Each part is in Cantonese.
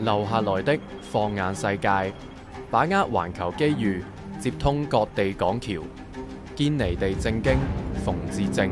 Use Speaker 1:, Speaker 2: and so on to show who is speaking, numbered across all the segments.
Speaker 1: 留下來的放眼世界，把握環球機遇，接通各地港橋，堅尼地正經，馮智政。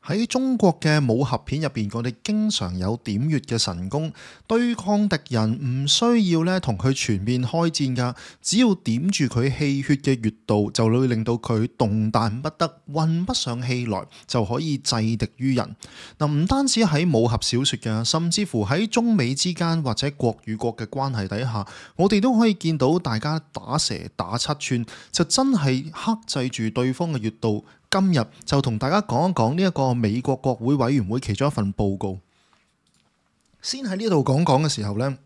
Speaker 2: 喺中國嘅武俠片入邊，我哋經常有點穴嘅神功，對抗敵人唔需要咧同佢全面開戰㗎，只要點住佢氣血嘅穴道，就會令到佢動彈不得，運不上氣來，就可以制敵於人。嗱，唔單止喺武俠小說㗎，甚至乎喺中美之間或者國與國嘅關係底下，我哋都可以見到大家打蛇打七寸，就真係克制住對方嘅穴道。今日就同大家講一講呢一個美國國會委員會其中一份報告。先喺呢度講嘅時候呢，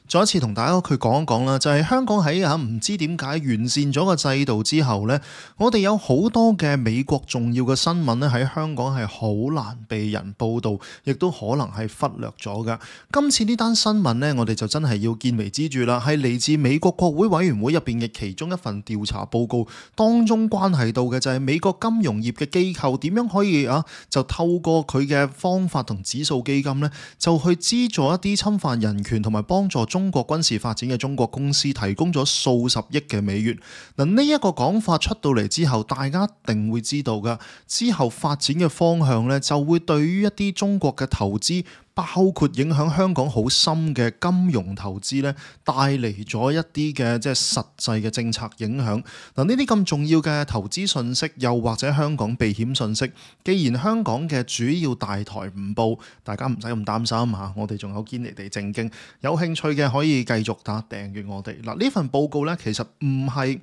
Speaker 2: 再一次同大家去講一講啦，就係香港喺唔知點解完善咗個制度之後呢，我哋有好多嘅美國重要嘅新聞呢，喺香港係好難被人報導，亦都可能係忽略咗㗎。今次呢單新聞呢，我哋就真係要見微知著啦，係嚟自美國國會委員會入邊嘅其中一份調查報告，當中關係到嘅就係美國金融業嘅機構點樣可以就透過佢嘅方法同指數基金呢，就去資助一啲侵犯人權同埋幫助中國軍事發展嘅中國公司，提供咗數十億嘅美元。嗱，呢一個講法出到嚟之後，大家一定會知道㗎。之後發展嘅方向呢，就會對於一啲中國嘅投資，包括影響香港好深嘅金融投資呢，帶嚟咗一啲嘅即係實際嘅政策影響。嗱，呢啲咁重要嘅投資信息，又或者香港避險信息，既然香港嘅主要大台唔報，大家唔使咁擔心嚇，我哋仲有堅尼地正經，有興趣嘅可以繼續訂閱我哋。嗱，呢份報告呢，其實唔係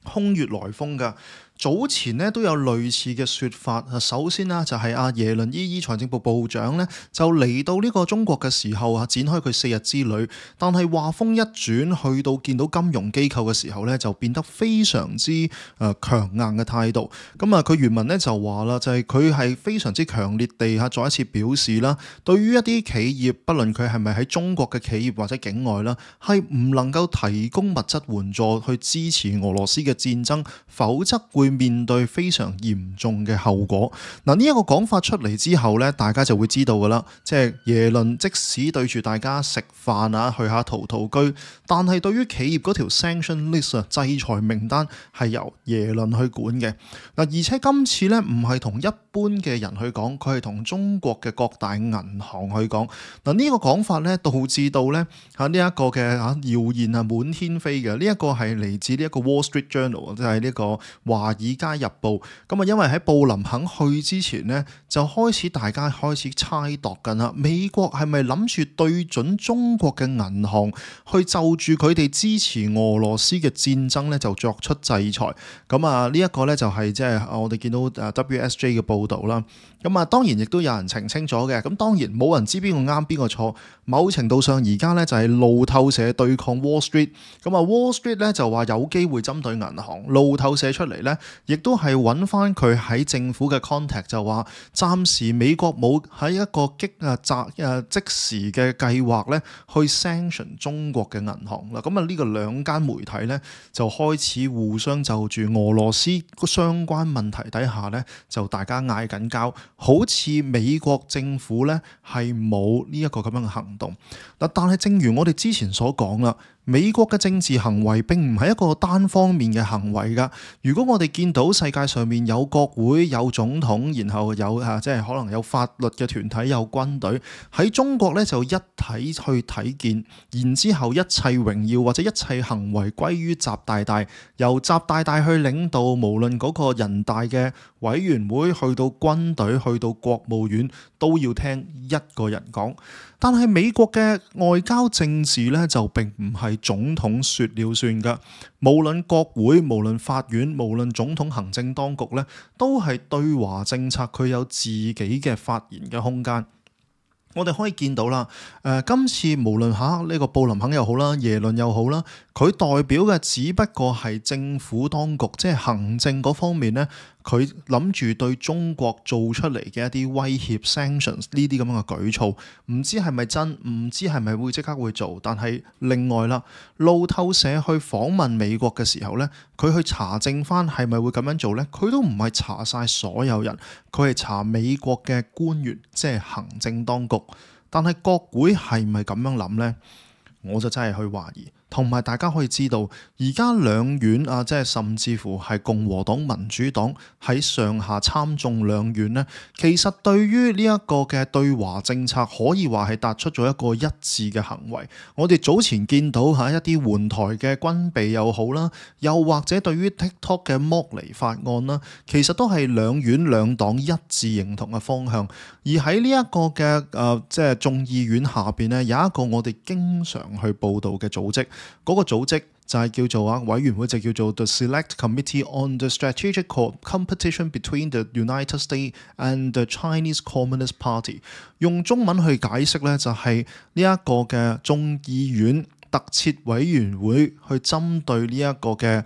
Speaker 2: 空穴來風㗎。早前咧都有類似嘅説法。首先啦，就係阿耶倫財政部部長咧，就嚟到呢個中國嘅時候展開佢4日之旅。但係話風一轉，去到見到金融機構嘅時候咧，就變得非常之強硬嘅態度。咁佢原文咧就話啦，就係佢係非常之強烈地再一次表示啦，對於一啲企業，不論佢係咪喺中國嘅企業或者境外啦，係唔能夠提供物質援助去支持俄羅斯嘅戰爭，否則會面對非常嚴重嘅後果。嗱，呢一個講法出嚟之後咧，大家就會知道噶啦，即係耶倫即使對住大家食飯去下陶居，但係對於企業嗰條 sanction list 制裁名單係由耶倫去管嘅。嗱，而且今次咧唔係同一般嘅人去講，佢係同中國嘅各大銀行去講。嗱，呢個講法咧導致到咧呢一個嘅謠言滿天飛嘅。呢一個係嚟自呢一個 Wall Street Journal， 即係呢個華爾街日報。咁因為喺布林肯去之前呢，就大家開始猜度緊啦。美國係咪諗住對準中國嘅銀行，去就住佢哋支持俄羅斯嘅戰爭咧，就作出制裁？咁呢一個咧就係即係我哋見到WSJ 嘅報導啦。咁當然亦都有人澄清咗嘅。咁當然冇人知邊個啱邊個錯。某程度上而家咧就係路透社對抗 Wall Street。咁Wall Street 咧就話有機會針對銀行，路透社出嚟咧亦都係揾翻佢喺政府嘅 contact， 就話暫時美國冇喺一個即時嘅計劃咧去 sanction 中國嘅銀行啦。咁呢個兩間媒體咧就開始互相就住俄羅斯相關問題底下咧就大家嗌緊交，好似美國政府咧係冇呢一個咁樣嘅行動。嗱，但係正如我哋之前所講啦，美國嘅政治行為並唔係一個單方面嘅行為㗎。如果我哋見到世界上面有國會、有總統，然後有即係可能有法律嘅團體、有軍隊，喺中國咧就一體去睇見，然之後一切榮耀或者一切行為歸於習大大，由習大大去領導，無論嗰個人大嘅委員會去到軍隊去到國務院，都要聽一個人講。但係美國嘅外交政治咧就並唔係總統說了算㗎，無論國會、無論法院、無論總統行政當局咧，都係對華政策佢有自己嘅發言嘅空間。我哋可以見到啦，今次無論呢個布林肯又好啦，耶倫又好啦，佢代表嘅只不過係政府當局，即係行政嗰方面呢，佢諗住對中國做出嚟嘅一啲威脅 sanctions 呢啲咁樣嘅舉措，唔知係咪真，唔知係咪會即刻會做。但係另外啦，路透社去訪問美國嘅時候呢，佢去查證翻係咪會咁樣做呢？佢都唔係查晒所有人，佢係查美國嘅官員，即係行政當局。但係國會係咪咁樣諗呢？我就真係去懷疑。同埋大家可以知道，而家兩院啊，即係甚至乎係共和黨、民主黨喺上下參眾兩院呢，其實對於呢一個嘅對華政策可以話係達出咗一個一致嘅行為。我哋早前見到一啲援台嘅軍備又好啦，又或者對於 TikTok 嘅剝離法案啦，其實都係兩院兩黨一致認同嘅方向。而喺呢一個嘅即係眾議院下邊呢，有一個我哋經常去報導嘅組織。嗰個組織就係叫做委員會，就叫做 The Select Committee on the Strategic Competition Between the United States and the Chinese Communist Party。用中文去解釋呢，就係呢一個嘅眾議院特設委員會去針對呢一個嘅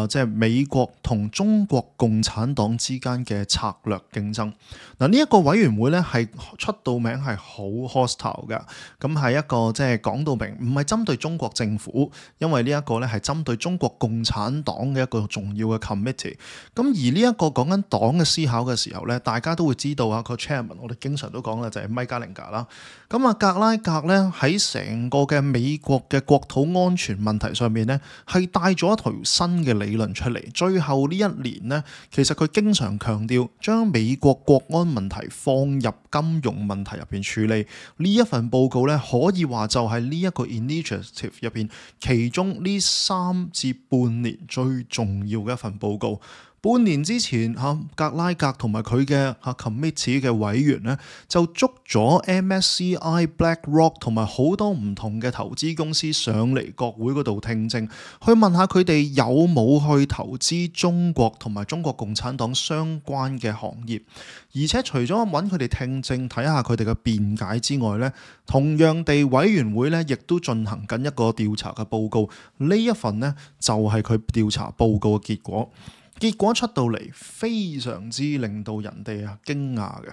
Speaker 2: 即係美國同中國共產黨之間嘅策略競爭。嗱，呢一個委員會咧係出到名係好 hostile 嘅，咁係一個即係講到明，唔係針對中國政府，因為呢一個咧係針對中國共產黨嘅一個重要嘅 committee。咁而呢一個講緊黨嘅思考嘅時候咧，大家都會知道個 chairman， 我哋經常都講啦，就係米加寧格啦。咁格拉格咧喺成個嘅美國嘅國土安全問題上面咧，係帶咗一條新嘅理論出嚟。最後呢一年呢，其實佢經常強調將美國國安問題放入金融問題入邊處理。呢一份報告呢，可以話就係呢一個 initiative 入邊其中呢3至半年最重要嘅一份報告。半年之前格拉格同埋佢嘅committee 嘅委員呢，就捉咗 MSCI、BlackRock 同埋好多唔同嘅投資公司上嚟國會嗰度聽證，去問下佢哋有冇去投資中國同埋中國共產黨相關嘅行業。而且除咗揾佢哋聽證睇下佢哋嘅辯解之外呢，同樣地委員會呢亦都進行緊一個調查嘅報告。呢一份呢，就係佢調查報告嘅結果。結果出到嚟非常之令到人哋驚訝嘅。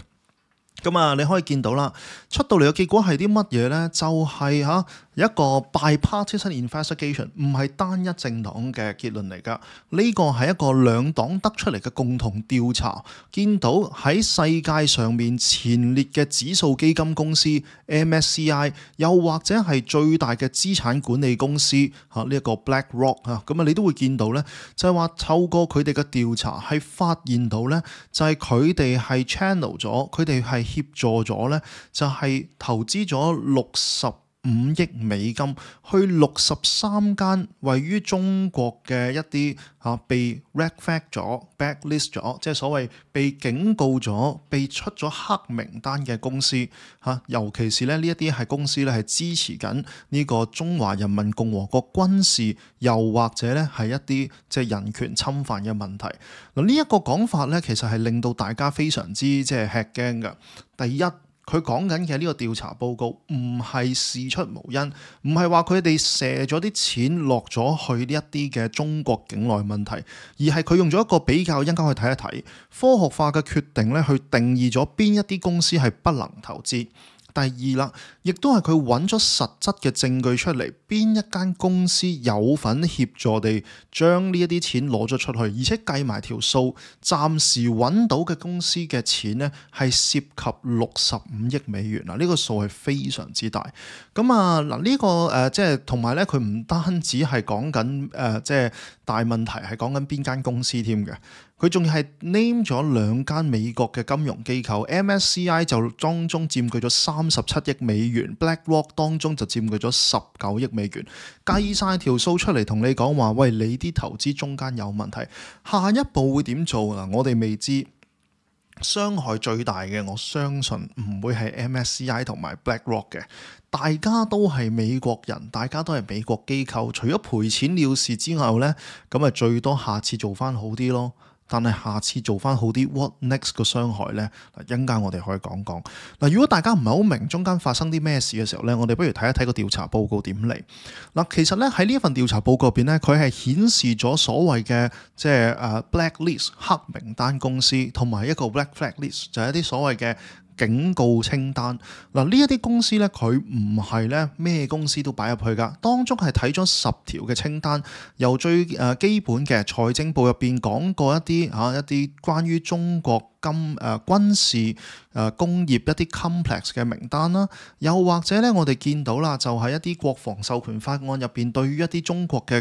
Speaker 2: 咁你可以見到啦，出到嚟嘅結果係啲乜嘢呢？就係一個 bipartisan investigation， 唔係單一政黨嘅結論嚟㗎。呢個係一個兩黨得出嚟嘅共同調查，見到喺世界上面前列嘅指數基金公司 MSCI， 又或者係最大嘅資產管理公司呢一個 BlackRock 咁你都會見到呢，就係話透過佢哋嘅調查係發現到呢，就係佢哋係 channel 咗，佢哋係協助咗呢，就係投資咗65億美金去63間位於中國嘅一啲被 red flag 咗、blacklist 咗，即係所謂被警告咗、被出咗黑名單嘅公司尤其是呢一啲係公司咧係支持緊呢個中華人民共和國軍事，又或者咧係一啲即係人權侵犯嘅問題。嗱，呢一個講法咧，其實係令到大家非常之即係吃驚嘅。第一，佢講緊嘅呢個調查報告唔係事出無因，唔係話佢哋射咗啲錢落咗去呢一啲嘅中國境內問題，而係佢用咗一個比較，應該去睇一睇科學化嘅決定咧，去定義咗邊一啲公司係不能投資。第二啦，亦都係佢揾咗實質嘅證據出嚟，邊一間公司有份協助地將呢一啲錢攞咗出去，而且計埋條數，暫時揾到嘅公司嘅錢呢係涉及65億美元啦，呢個數係非常之大。咁呢個即係同埋咧，佢唔單止係講緊即係大問題，係講緊邊間公司添嘅。佢仲係 name 咗2間美國嘅金融機構 ，MSCI 就當中佔據咗37億美元 ，BlackRock 當中就佔據咗19億美元。計晒條數出嚟同你講話，喂，你啲投資中間有問題，下一步會點做嗱？我哋未知。傷害最大嘅，我相信唔會係 MSCI 同埋 BlackRock 嘅。大家都係美國人，大家都係美國機構，除咗賠錢了事之後呢，咁最多下次做翻好啲咯。但係下次做翻好啲 what next 個傷害呢？嗱，一陣間我哋可以講講。嗱，如果大家唔係好明中間發生啲咩事嘅時候呢，我哋不如睇一睇個調查報告點嚟。嗱，其實呢，喺呢一份調查報告入邊呢，佢係顯示咗所謂嘅即係blacklist 黑名單公司，同埋一個 black flag list 就係一啲所謂嘅警告清單。嗱，呢一啲公司咧，佢唔係咧咩公司都擺入去噶，當中係睇咗10條嘅清單，由最基本嘅財政部入邊講過一啲關於中國軍事工業一啲 complex 嘅名單啦，又或者咧我哋見到啦，就係一啲國防授權法案入邊對於一啲中國嘅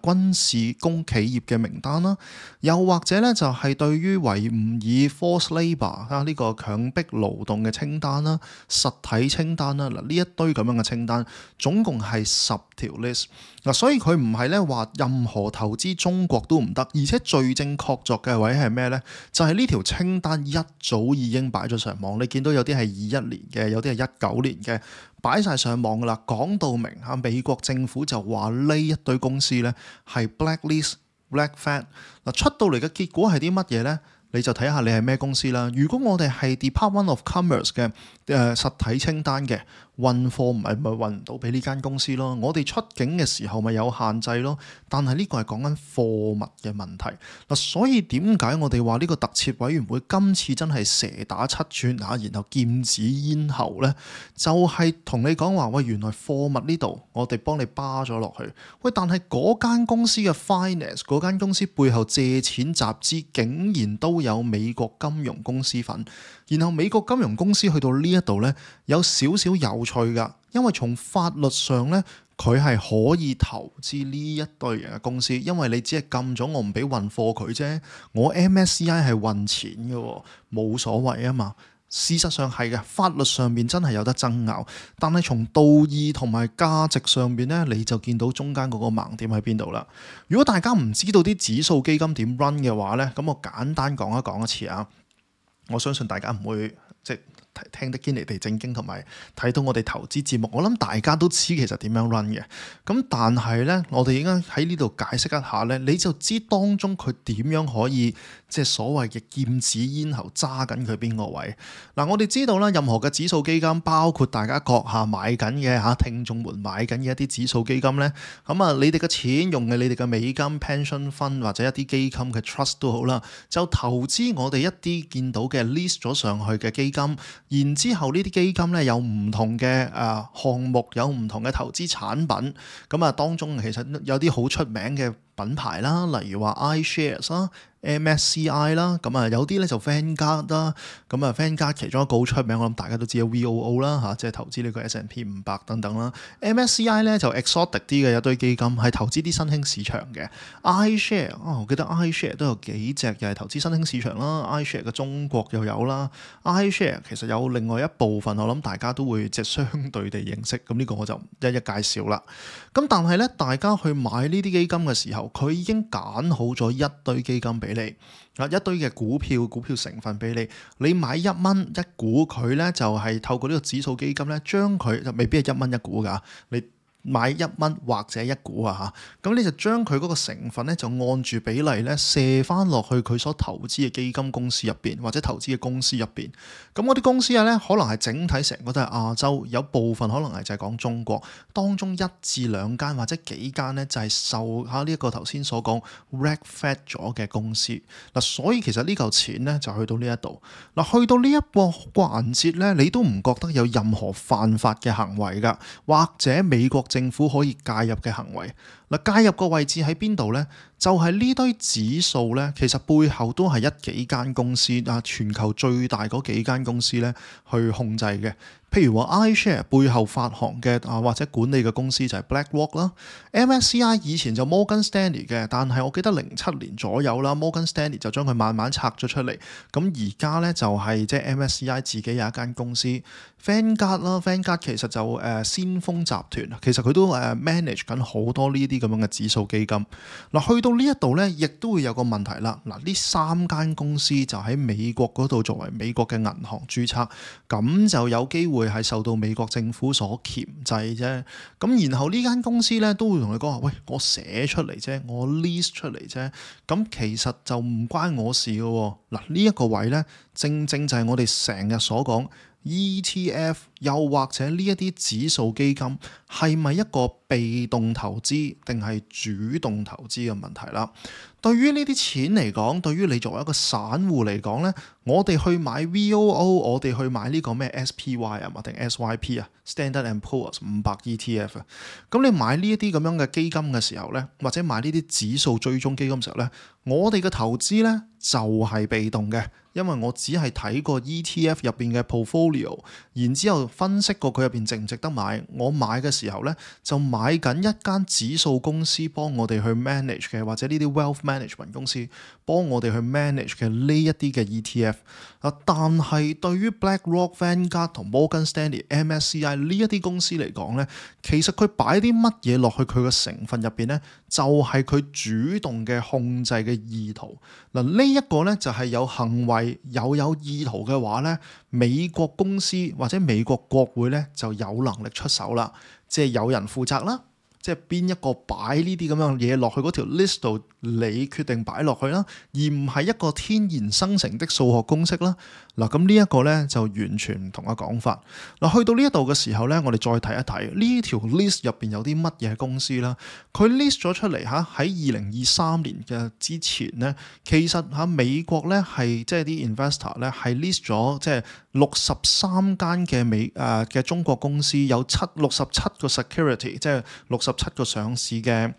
Speaker 2: 軍事工企業嘅名單啦，又或者咧就係對於維吾爾 forced labour 呢個強迫勞動嘅清單啦、實體清單啦，嗱呢一堆咁樣嘅清單，總共係10條 list。嗱，所以佢唔係咧話任何投資中國都唔得，而且罪證確鑿嘅位係咩呢？就係呢條清單一早已經擺咗上網，你見到有啲係21年嘅，有啲係19年嘅，擺晒上網噶啦，講到明嚇，美國政府就話呢一堆公司呢係 blacklist black flag。嗱，出到嚟嘅結果係啲乜嘢呢？你就睇下你係咩公司啦。如果我哋係 Department of Commerce 嘅實體清單嘅，運貨咪運唔到俾呢間公司咯。我哋出境嘅時候咪有限制咯。但係呢個係講緊貨物嘅問題嗱，所以點解我哋話呢個特設委員會今次真係蛇打7寸嚇，然後劍指咽喉呢？就係同你講話喂，原來貨物呢度我哋幫你巴咗落去喂，但係嗰間公司嘅 finance 嗰間公司背後借錢集資竟然都有美國金融公司份，然後美國金融公司去到呢一度呢，有少少有趣噶，因為從法律上呢，佢係可以投資呢一堆人嘅公司，因為你只係禁咗我唔俾運貨佢啫，我 MSCI 係運錢嘅，冇所謂啊嘛。事實上係嘅，法律上面真係有得爭拗，但係從道義同埋價值上面呢，你就見到中間嗰個盲點喺邊度啦。如果大家唔知道啲指數基金點 run 嘅話呢，咁我簡單講一次啊。我相信大家唔會即係聽得堅尼地正經，同埋睇到我哋投資節目，我諗大家都知其實點樣 run 嘅。咁但係呢，我哋應該喺呢度解釋一下呢，你就知當中佢點樣可以即係所謂嘅劍指咽喉揸緊佢邊個位。嗱，我哋知道啦，任何嘅指數基金，包括大家閣下買緊嘅聽眾們買緊嘅一啲指數基金呢，咁啊，你哋嘅錢用嘅你哋嘅美金 pension fund 或者一啲基金嘅 trust 都好啦，就投資我哋一啲見到嘅 list 咗上去嘅基金，然之後呢啲基金呢，有唔同嘅項目，有唔同嘅投資產品，咁啊當中其實有啲好出名嘅品牌啦，例如話 iShares 啦、MSCI 啦，咁啊有啲咧就 Vanguard 啦，咁啊 Vanguard 其中一個好出名，我諗大家都知有 VOO 啦嚇，即係投資呢個 S&P 500等等啦。MSCI 咧就 exotic 啲嘅一堆基金，係投資啲新興市場嘅。iShare 我記得 iShare 都有幾隻又係投資新興市場啦。iShare 嘅中國又有啦。iShare 其實有另外一部分，我諗大家都會即係相對地認識，咁呢個我就一一介紹啦。咁但係咧，大家去買呢啲基金嘅時候，佢已經揀好咗一堆基金俾你，一堆嘅股票成分俾你，你買1蚊一股，佢咧就係透過呢個指數基金咧，將佢就未必係1蚊一股㗎，你買1蚊或者一股啊嚇，咁你就將佢嗰個成分咧就按住比例咧射翻落去佢所投資嘅基金公司入邊，或者投資嘅公司入邊。咁嗰啲公司咧可能係整體成個都係亞洲，有部分可能係就係講中國，當中1至2間或者幾間咧就係受下呢一個頭先所講 red flag 咗嘅公司嗱，所以其實呢嚿錢咧就去到呢一度嗱，去到呢一個環節咧，你都唔覺得有任何犯法嘅行為㗎，或者美國政府可以介入嘅行為嗱，介入個位置喺邊度呢？就係呢堆指數呢，其實背後都係幾間公司啊，全球最大嗰幾間公司呢去控制嘅。譬如話 iShare 背後發行嘅或者管理嘅公司就係 BlackRock 啦。MSCI 以前就 Morgan Stanley 嘅，但係我記得07年左右啦，Morgan Stanley 就將佢慢慢拆咗出嚟。咁而家呢，就係即係 MSCI 自己有一間公司 Vanguard 啦，Vanguard 其實就先鋒集團，其實佢都manage 緊好多呢啲咁樣嘅指數基金嗱，去到到呢一度呢，亦都會有個問題啦。嗱，呢3間公司就喺美國嗰度作為美國嘅銀行註冊，咁就有機會係受到美國政府所鉗制啫。咁然後呢間公司呢，都會同你講話，喂，我寫出嚟啫，我 list 出嚟啫，咁其實就唔關我事嘅喎。嗱，呢一個位呢，正正就係我哋成日所講。ETF 又或者呢一啲指數基金係咪一個被動投資定係主動投資嘅問題啦？對於呢啲錢嚟講，對於你作為一個散戶嚟講呢，我哋去買 VOO， 我哋去買呢個咩 SPY 啊，或定 SYP 啊 ，Standard and Poor's 500 ETF 啊，咁你買呢一啲咁樣嘅基金嘅時候呢，或者買呢啲指數追蹤基金嘅時候呢，我哋嘅投資呢就係被動嘅。因為我只係睇過 ETF 入邊嘅 portfolio， 然之後分析過佢入邊值唔值得買。我買嘅時候呢，就買緊一間指數公司幫我哋去 manage 嘅，或者呢啲 wealth management 公司幫我哋去 manage 嘅呢一啲嘅 ETF。但係對於 BlackRock、Vanguard 同 Morgan Stanley、MSCI 呢一啲公司嚟講呢，其實佢擺啲乜嘢落去佢嘅成分入邊呢，就係佢主動嘅控制嘅意圖。嗱，呢一個呢，就係有行為。有意圖嘅話呢，美國公司或者美國國會呢就有能力出手啦，即係有人負責啦，即係邊一個擺呢啲咁樣嘢落去嗰條 list 度，你決定擺落去啦，而唔係一個天然生成的數學公式啦。嗱，咁呢一個呢就完全唔同嘅講法。嗱，去到呢一度嘅時候呢，我哋再睇一睇呢條 list 入邊有啲乜嘢公司啦。佢 list 咗出嚟嚇，喺2023年嘅之前呢，其實嚇美國呢係即係啲 investor 呢係 list 咗即係63間嘅嘅中國公司，有67個 security， 即係67個上市嘅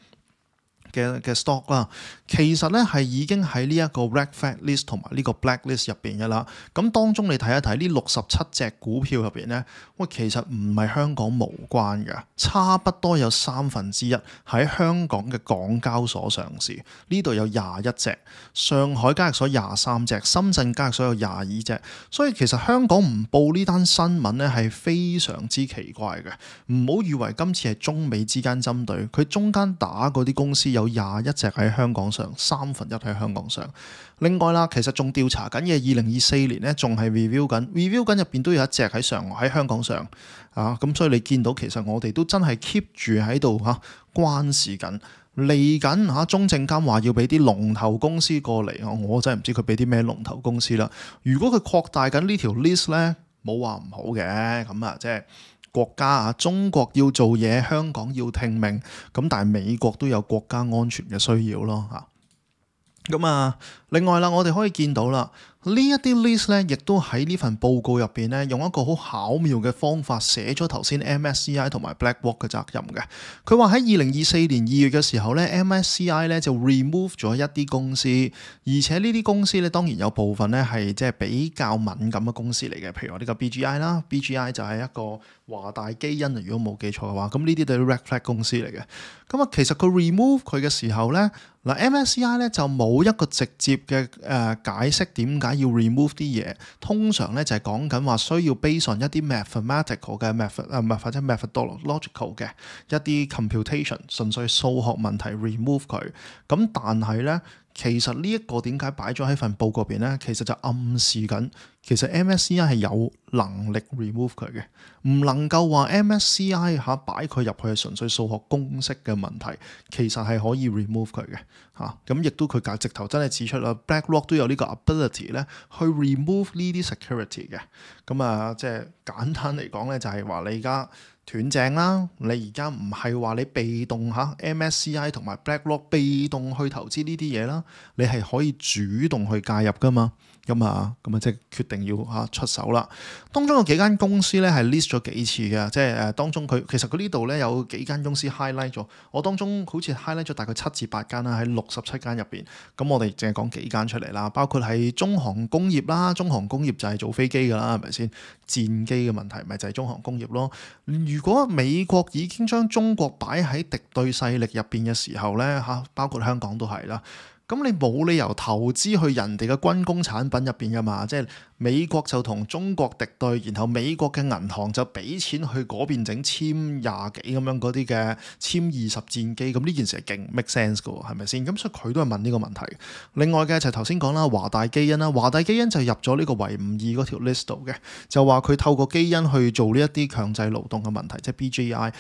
Speaker 2: stock 啦，其實咧係已經喺呢一個 red flag list 同埋呢個 black list 入邊嘅啦。咁當中你睇一睇呢67隻股票入邊咧，喂，其實唔係香港無關嘅，差不多有1/3喺香港嘅港交所上市。呢度有21隻，上海交易所23隻，深圳交易所有22隻。所以其實香港唔報呢單新聞咧係非常之奇怪嘅。唔好以為今次係中美之間針對，佢中間打嗰啲公司有21隻喺香港上，1/3喺香港上。另外啦，其實仲調查緊嘅2024年咧，仲係 review 緊入邊都有一隻喺香港上啊。咁所以你見到其實我哋都真係 keep 住喺度關視緊。嚟緊中證監話要俾啲龍頭公司過嚟，我真係唔知佢俾啲咩龍頭公司啦。如果佢擴大緊呢條 list 咧，冇話唔好嘅，咁啊即係。國家中國要做嘢，香港要聽命，咁但係美國都有國家安全嘅需要咯嚇。咁另外啦，我哋可以見到啦，呢一啲 list 咧，亦都喺呢份報告入邊咧，用一個好巧妙嘅方法寫咗頭先 MSCI 同埋 BlackRock 嘅責任嘅。佢話喺2024年2月嘅時候咧，MSCI 咧就 remove 咗一啲公司，而且呢啲公司咧當然有部分咧係即係比較敏感嘅公司嚟嘅，譬如話呢個 BGI 啦 ，BGI 就係一個華大基因，如果冇記錯嘅話，咁呢啲都係 red flag 公司嚟嘅。咁其實佢 remove 佢嘅時候咧，嗱 MSCI 咧就冇一個直接嘅解釋點解要 remove 啲嘢，通常咧就係講緊話需要 base on 一啲 mathematical 嘅或者 methodological 嘅一啲 computation， 純粹數學問題 remove 佢。咁但係咧，其實呢一個點解擺咗喺份報告入邊咧，其實就暗示緊其實 MSCI 係有能力 remove 佢嘅，唔能夠話 MSCI 擺佢入去係純粹數學公式嘅問題，其實係可以 remove 佢嘅嚇。咁亦都佢直頭真係指出啦 ，BlackRock 都有呢個 ability 咧去 remove 呢啲 security 嘅。咁即係簡單嚟講咧，就係話你而家斷正啦，你而家唔係話你被動MSCI 同埋 BlackRock 被動去投資呢啲嘢啦，你係可以主動去介入噶嘛。咁即係決定要出手啦。當中有幾間公司咧係 list 咗幾次嘅，即係當中其實佢呢度咧有幾間公司 highlight 咗。我當中好似 highlight 咗大概7至8間啦，喺67間入邊。咁我哋淨係講幾間出嚟啦，包括係中航工業啦，中航工業就係做飛機噶啦，係咪先？戰機嘅問題咪就係中航工業咯。如果美國已經將中國擺喺敵對勢力入邊嘅時候咧，包括香港都係啦。咁你冇理由投資去人哋嘅軍工產品入邊噶嘛？即係美國就同中國敵對，然後美國嘅銀行就俾錢去嗰邊整殲廿幾咁樣嗰啲嘅殲20戰機，咁呢件事係勁 make sense 嘅喎，係咪先？咁所以佢都係問呢個問題。另外嘅就係頭先講啦，華大基因啦，華大基因就入咗呢個維吾爾嗰條 list 度嘅，就話佢透過基因去做呢一啲強制勞動嘅問題，即係 BGI。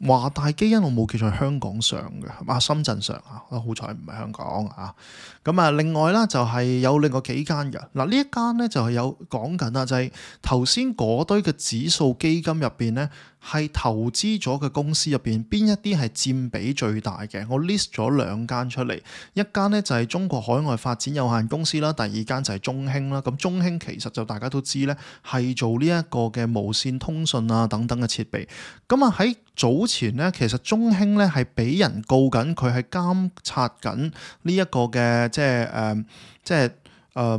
Speaker 2: 華大基因我冇記錯係香港上嘅，深圳上啊，好彩唔係香港啊。咁啊，另外啦就係有另外幾間嘅，嗱呢一間咧就係有講緊啦，就係頭先嗰堆嘅指數基金入邊咧，係投資咗嘅公司入邊邊一啲係佔比最大嘅？我 list 咗2間出嚟，一間咧就係中國海外發展有限公司啦，第二間就係中興啦。咁中興其實就大家都知咧，係做呢一個嘅無線通訊啊等等嘅設備。咁啊喺早前咧，其實中興咧係俾人告緊，佢係監察緊呢一個嘅即係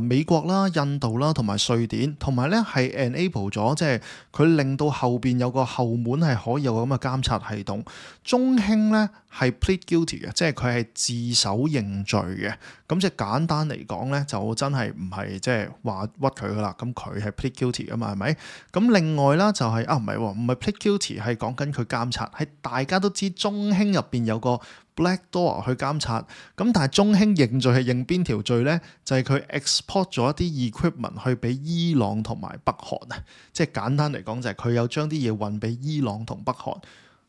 Speaker 2: 美國啦、印度啦同埋瑞典，同埋咧係 enable 咗，即係佢令到後邊有個後門係可以有咁嘅監察系統。中興咧係 plead guilty 嘅，即係佢係自首認罪嘅。咁即係簡單嚟講咧，就真係唔係即係話屈佢噶啦。咁佢係 plead guilty 噶嘛，係咪？咁另外啦就係唔係 plead guilty，係講緊佢監察，係大家都知中興入邊有個 Black Door 去監察，咁但係中興認罪係認邊條罪咧？就係佢 export 咗一啲 equipment 去俾伊朗同埋北韓啊！即係簡單嚟講就係佢有將啲嘢運俾伊朗同北韓。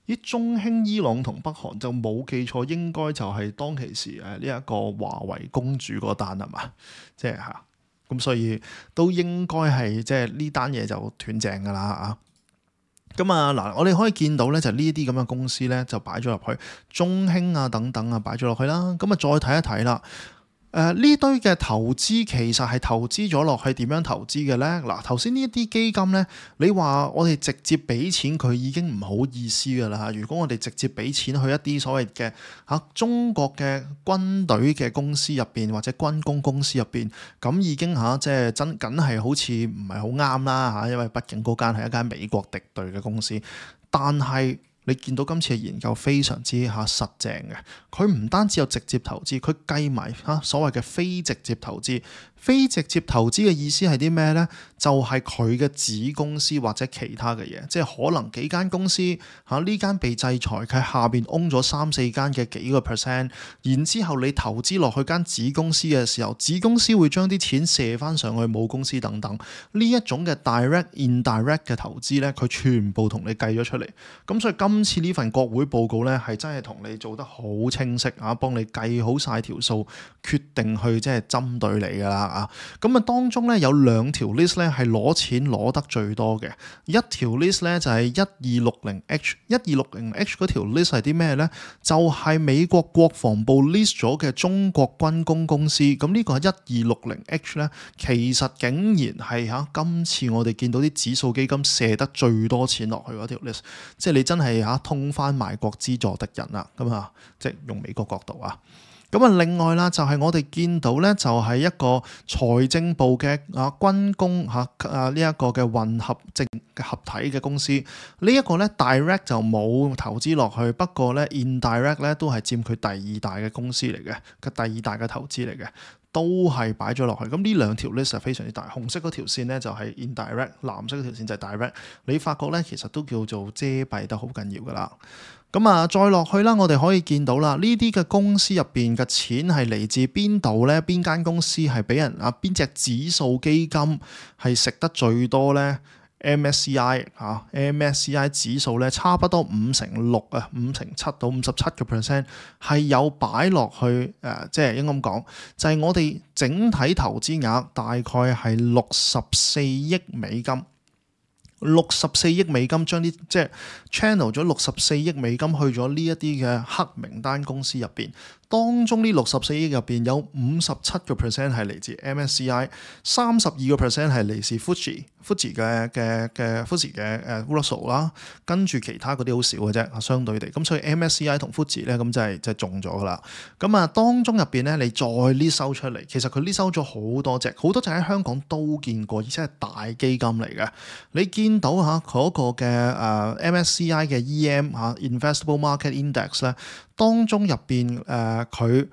Speaker 2: 咦，中興、伊朗同北韓就冇記錯，應該就係當其時呢一個華為公主嗰單係嘛？即係嚇，咁所以都應該係即係呢單嘢就斷正㗎啦嚇。咁啊嗱，我哋可以見到咧，就呢啲咁嘅公司咧，就擺咗入去中興啊等等啊，擺咗落去啦。咁啊，再睇一睇啦。呢堆嘅投資其實係投資咗落去點樣投資嘅咧？嗱，頭先呢一啲基金咧，你話我哋直接俾錢佢已經唔好意思㗎啦。如果我哋直接俾錢去一啲所謂嘅中國嘅軍隊嘅公司入邊或者軍工公司入邊，咁已經即係真梗係好似唔係好啱啦嚇，因為畢竟嗰間係一間美國敵對嘅公司，但係你見到今次嘅研究非常之實正嘅，佢唔單止有直接投資，佢計埋所謂嘅非直接投資。非直接投資嘅意思係啲咩呢？就係佢嘅子公司或者其他嘅嘢，即係可能幾間公司呢間被制裁，佢下邊 own 咗3-4間嘅幾個 percent， 然之後你投資落去間子公司嘅時候，子公司會將啲錢射翻上去母公司等等，呢一種嘅 direct、indirect 嘅投資呢，佢全部同你計咗出嚟。咁所以今次呢份國會報告呢，係真係同你做得好清晰幫你計好晒條數，決定去即係針對你㗎啦。咁啊，當中咧有2條 list 咧係攞錢攞得最多嘅，一條 list 咧就係 1260H 嗰條 list 係啲咩咧？就係美國國防部 list 咗嘅中國軍工公司。咁呢個係 1260H 咧，其實竟然係今次我哋見到啲指數基金射得最多錢落去嗰條 list， 即係你真係通翻賣國資助敵人啦，咁啊，即係用美國角度啊。咁啊，另外啦，就係我哋見到咧，就係一個財政部嘅軍工呢一個嘅混合合體嘅公司。呢一個咧 direct 就冇投資落去，不過咧 indirect 咧都係佔佢第2大嘅公司嚟嘅，第2大嘅投資嚟嘅，都係擺咗落去。咁呢2條 list 係非常之大，紅色嗰條線咧就係 indirect， 藍色嗰條線就係 direct。你發覺咧其實都叫做遮蔽得好緊要噶啦。咁啊，再落去啦，我哋可以見到啦，呢啲嘅公司入邊嘅錢係嚟自邊度咧？邊間公司係俾人邊隻指數基金係食得最多咧？MSCI 指數咧，差不多56%啊，57%到57% 係有擺落去即係應該咁講，就係我哋整體投資額大概係64億美金。64億美金將啲即係 channel 咗64億美金去咗呢一啲嘅黑名單公司入邊，當中呢64億入邊有57% 係嚟自 MSCI， 32% 係嚟自 Fuji 嘅 Russell 啦，跟住其他嗰啲好少嘅啫，相對地，咁所以 MSCI 同 Fuji 咧咁就係中咗噶啦。咁啊，當中入邊咧，你再呢收出嚟，其實佢呢收咗好多隻喺香港都見過，而且係大基金嚟嘅。你見到嗰個嘅MSCI 嘅 EM Investable Market Index 咧，當中入邊佢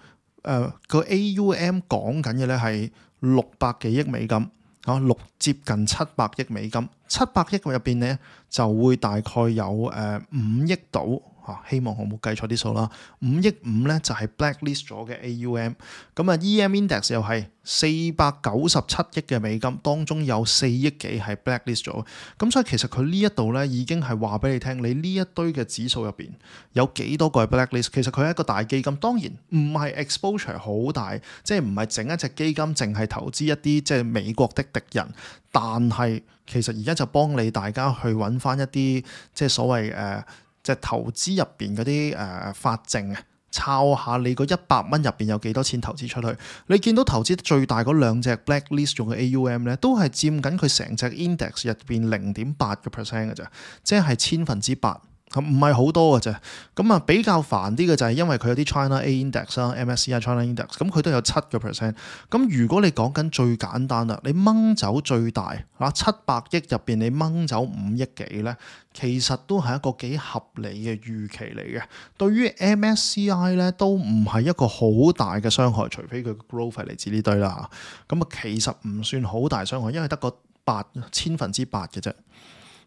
Speaker 2: 個 AUM 講緊嘅咧係600幾億美金啊，接近700億美金，700億入邊咧就會大概有5億度。希望我冇計錯啲數啦，5億5咧就係 blacklist 咗嘅 AUM， 咁啊 EM index 又係497億嘅美金，當中有4億幾係 blacklist 咗，咁所以其實佢呢一度咧已經係話俾你聽，你呢一堆嘅指數入邊有幾多個係 blacklist， 其實佢係一個大基金，當然唔係 exposure 好大，即係唔係整一隻基金淨係投資一啲即係美國的敵人，但係其實而家就幫你大家去揾翻一啲即係所謂即係投資入邊嗰啲法證啊，抄下你個100蚊入邊有幾多錢投資出去。你見到投資最大嗰兩隻 blacklist 用嘅 AUM 咧，都係佔緊佢成隻 index 入邊0.8% 嘅啫，即係8%。唔係好多嘅啫，咁啊比較煩啲嘅就係因為佢有啲 China A Index 啦，MSCI China Index，咁佢都有7%。咁如果你講緊最簡單啦，你掹走最大700億入邊，你掹走5億幾咧，其實都係一個幾合理嘅預期嚟嘅。對於 MSCI 咧，都唔係一個好大嘅傷害，除非佢嘅 growth 係嚟自呢堆啦。咁啊其實唔算好大傷害，因為得個8%嘅啫。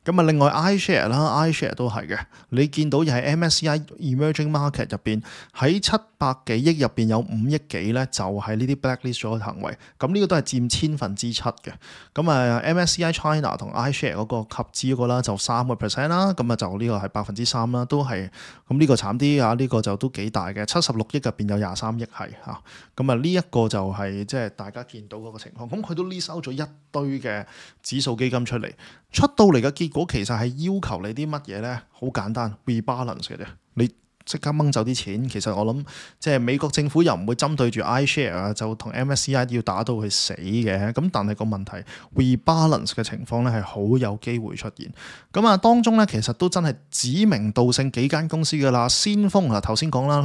Speaker 2: 咁啊，另外 iShare 啦 ，iShare 都係嘅。你見到又係 MSCI Emerging Market 入邊喺700幾億入邊有5億幾咧，就係呢啲 blacklist 咗嘅行為。咁呢個都係佔7%嘅。咁啊 MSCI China 同 iShare 嗰個合資嗰個啦，就3% 啦。咁啊就呢個係3%啦，都係咁呢個慘啲啊！呢個就都幾大嘅，76億入邊有23億係嚇。咁啊呢一個就係即係大家見到嗰個情況。咁佢都 list out 咗一堆嘅指數基金出嚟，出到嚟嘅結果其實係要求你啲乜嘢咧？好簡單 ，rebalance 嘅啫。你即刻掹走啲錢，其實我諗即係美國政府又唔會針對住 iShare 啊，就同 MSCI 要打到佢死嘅。咁但係個問題 rebalance 嘅情況咧係好有機會出現。咁啊當中咧其實都真係指名道姓幾間公司㗎啦。先鋒啊頭先講啦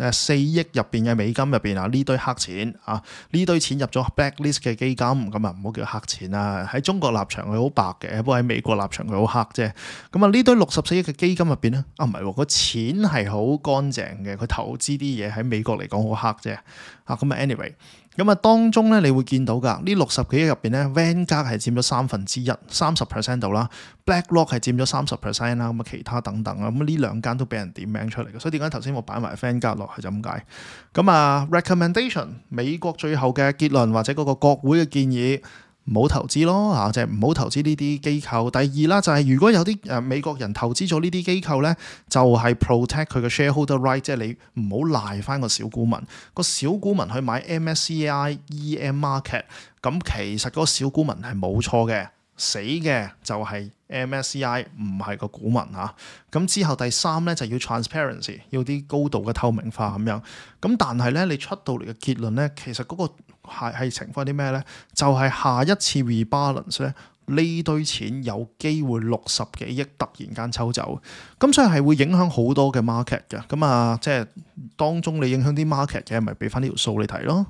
Speaker 2: ，4億入邊嘅美金入邊啊，呢堆黑錢啊，呢堆錢入咗 blacklist 嘅基金，咁啊唔好叫黑錢啊。喺中國立場佢好白嘅，不過喺美國立場佢好黑啫。咁啊呢堆64億嘅基金入邊咧，唔係喎，個錢係好乾淨嘅，佢投資啲嘢喺美國嚟講好黑啫。咁啊 anyway。咁啊，當中咧，你會見到㗎，呢60幾億入邊咧 Vanguard 係佔咗30%度啦 ，BlackRock 係佔咗30% 啦，咁啊其他等等啊，咁呢兩間都俾人點名出嚟嘅，所以點解頭先我擺埋 Vanguard 落去就咁解。咁啊 recommendation 美國最後嘅結論或者嗰個國會嘅建議。唔好投資咯嚇，即係唔好投資呢啲機構。第二啦，就係如果有啲美國人投資咗呢啲機構咧，就係 protect 佢嘅 shareholder right，即係你唔好賴翻個小股民。個小股民去買 MSCI EM market，咁其實嗰個小股民係冇錯嘅，死嘅就係 MSCI 唔係個股民嚇。咁之後第三咧就要 transparency， 要啲高度嘅透明化咁樣。咁但係咧你出到嚟嘅結論咧，其實嗰個係情況啲咩咧？就係下一次 rebalance 咧，呢堆錢有機會60幾億突然間抽走，咁所以係會影響好多嘅 market 嘅。咁啊，即係當中你影響啲 market 嘅，咪俾翻呢條數你睇咯。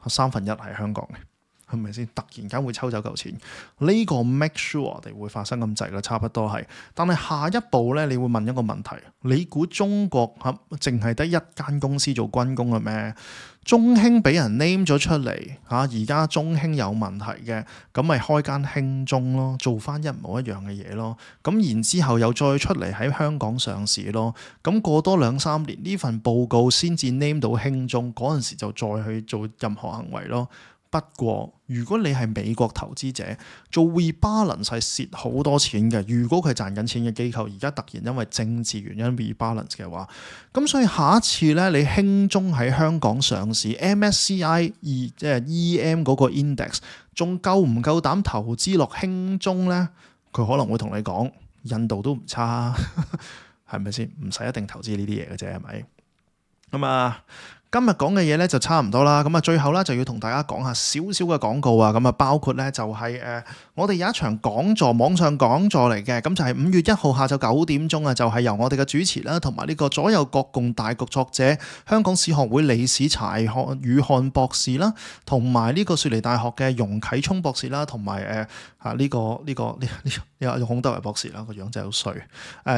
Speaker 2: 1/3係香港嘅，係咪先？突然間會抽走嚿錢，呢個 make sure 我哋會發生咁滯啦，差不多係。但係下一步咧，你會問一個問題：你估中國淨係得一間公司做軍工嘅咩？中興俾人 name 咗出嚟嚇，而家中興有問題嘅，咁咪開間興中咯，做翻一模一樣嘅嘢咯。咁然之後又再出嚟喺香港上市咯。咁過多2-3年呢份報告先至 name 到興中，嗰陣時就再去做任何行為咯。不過，如果你係美國投資者，做 rebalance 係蝕好多錢嘅。如果佢賺緊錢嘅機構，而家突然因為政治原因 rebalance 嘅話，咁所以下一次咧，你興中喺香港上市 MSCI 即係 EM 嗰個 index，仲夠唔夠膽投資落興中咧？佢可能會同你講，印度都唔差，係咪先？唔使一定投資呢啲嘢嘅啫，係咪？咁啊。今日講嘅嘢咧就差唔多啦，咁啊最後咧就要同大家講下少少嘅廣告啊，咁啊包括咧就係我哋有一場講座，網上講座嚟嘅，咁就係5月1號下晝9點鐘啊，就係由我哋嘅主持啦，同埋呢個左右國共大局作者、香港史學會理事柴宇漢博士啦，同埋呢個雪梨大學嘅容啟聰博士啦，同埋呢個孔德維博士啦，個樣真係好衰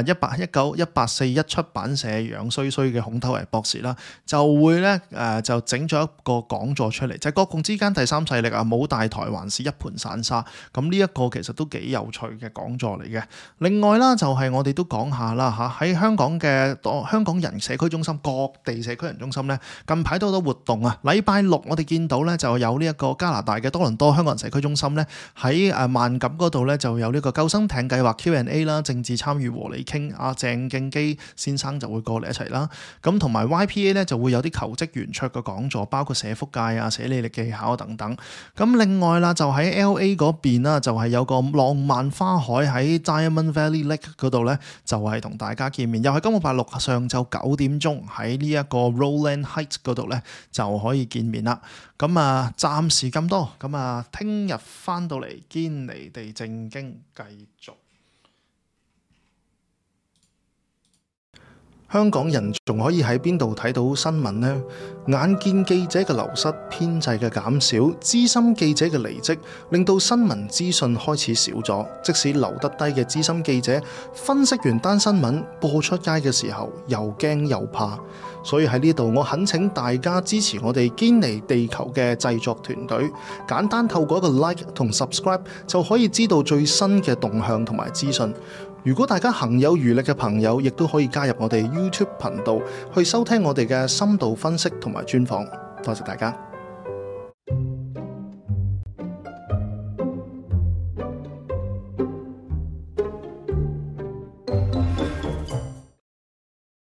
Speaker 2: ，1841出版社樣衰衰嘅孔德維博士啦，就會咧咧就整咗一個講座出嚟，就係國共之間第三勢力啊，冇大台還是一盤散沙。咁呢一個其實都幾有趣嘅講座嚟嘅。另外啦，就係我哋都講下啦嚇，喺香港嘅香港人社區中心、各地社區人中心咧，近排都好多活動啊。禮拜六我哋見到咧就有呢一個加拿大嘅多倫多香港人社區中心咧，喺萬錦嗰度咧就有呢個救生艇計劃 Q&A 啦，政治參與和你傾，阿鄭敬基先生就會過嚟一齊啦。咁同埋 YPA 咧就會有啲求職圓桌嘅講座，包括社福界啊、寫履歷技巧等等。咁另外啦，就喺 LA 嗰邊啦，就係有個浪漫花海喺 Diamond Valley Lake 嗰度咧，就係同大家見面，又係今個禮拜六上晝9點鐘喺呢一個 Rowland Heights 嗰度咧就可以見面啦。咁啊，暫時咁多，咁啊，聽日翻到嚟堅尼地正經繼續。香港人仲可以喺邊度睇到新聞呢？眼見記者嘅流失、編制嘅減少、資深記者嘅離職，令到新聞資訊開始少咗。即使留得低嘅資深記者，分析完單新聞播出街嘅時候，又驚又怕。所以喺呢度，我懇請大家支持我哋堅尼地球嘅製作團隊，簡單透過一個 like 同 subscribe 就可以知道最新嘅動向同埋資訊。如果大家行有餘力嘅朋友，亦都可以加入我哋 YouTube 頻道去收聽我哋嘅深度分析同埋專訪。多謝大家。